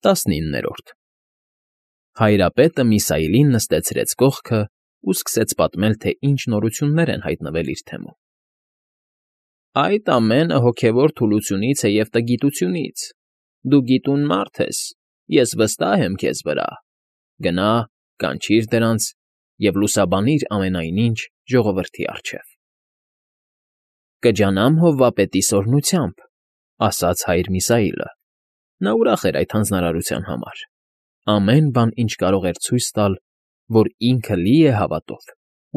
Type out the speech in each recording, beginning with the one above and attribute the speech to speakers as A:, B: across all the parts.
A: 19 Հայրապետը Միսայելին նստեցրեց կողքը ու սկսեց պատմել, թե ինչ նորություններ են հայտնվել իր թեմում։ Այդ ամենը հոգևոր թուլությունից է և տգիտությունից։ Դու գիտուն մարդ ես, ես վստահ եմ քեզ վրա։ Գնա, կանչիր դրանց և լուսաբանիր ամենայն ինչ ժողովրդի առջև։ Կջանամ հովվապետի սօրհնությամբ, ասաց հայր Միսայելը։ Նա ուրախ էր այդ հանձնարարության համար։ Ամեն բան, ինչ կարող էր ցույց տալ, որ ինքը լի է հավատով,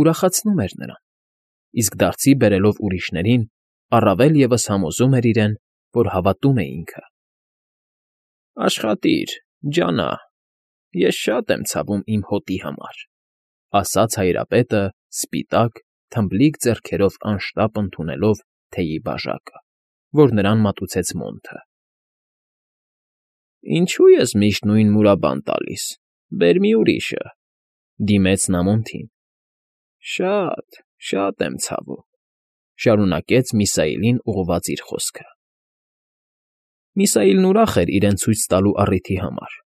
A: ուրախացնում էր նրան, իսկ դարձի բերելով ուրիշներին, առավել ևս համոզում էր իրեն, որ հավատում է ինքը։ Աշխատիր, ջանա, ես շատ եմ ցավում իմ հոտի համար, ասաց հայրապետը, սպիտակ, թմբլիկ ձեռքերով անշտապ ընդունելով թեյի բաժակը, որ նրան մատուցեց Մոնթը։ Ինչո՞ւ ես միշտ նույն մուրաբան տալիս, բեր մի ուրիշը, դիմեց նա Մոնթին։ Շատ եմ ցավում, շարունակեց Միսայելին ուղղված իր խոսքը։ Միսայելն ուրախ էր իրեն ցույց տալու առիթի համար,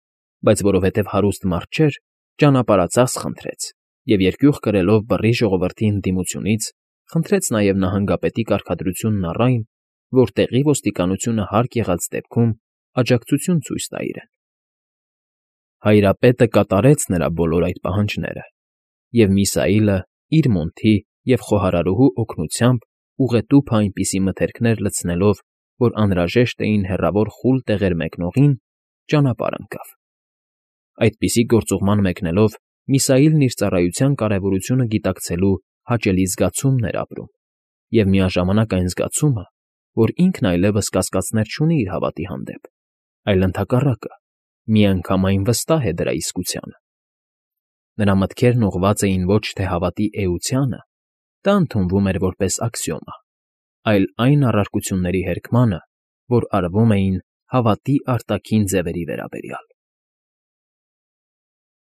A: բայց որովհետև հարուստ մարդ չէր, ճանապարհածախս խնդրեց և երկյուղ կրելով բռի ժողովրդի ընդդիմությունից, խնդրեց նաև նահանգապետի կարգադրությունն առ այն, որ տեղի ոստիկանությունը հարկ եղած դեպքում աջակցություն ցույց տա իրեն։ Հայրապետը կատարեց նրա բոլոր այդ պահանջները, և Միսայելը իր Մոնթի և խոհարարուհու օգնությամբ ուղետուփը այնպիսի մթերքներ լցնելով, որ անհրաժեշտ էին հեռավոր խուլ տեղեր մեկնողին, ճանապարհ ընկավ։ Այդպիսի գործուղման մեկնելով Միսայելն իր ծառայության կարևորությունը գիտակցելու հաճելի զգացումն էր ապրում և միաժամանակ այն զգացումը, որ ինքն այլևս կասկածներ չունի իր հավատի հանդեպ, այլ ընդհակառակը, միանգամայն վստահ է դրա իսկությանը։ Նրա մտքերն ուղղված էին ոչ թե հավատի էությանը, դա ընդունվում էր որպես աքսիոմա, այլ այն առարկությունների հերքմանը, որ արվում էին հավատի արտաքին ձևերի վերաբերյալ։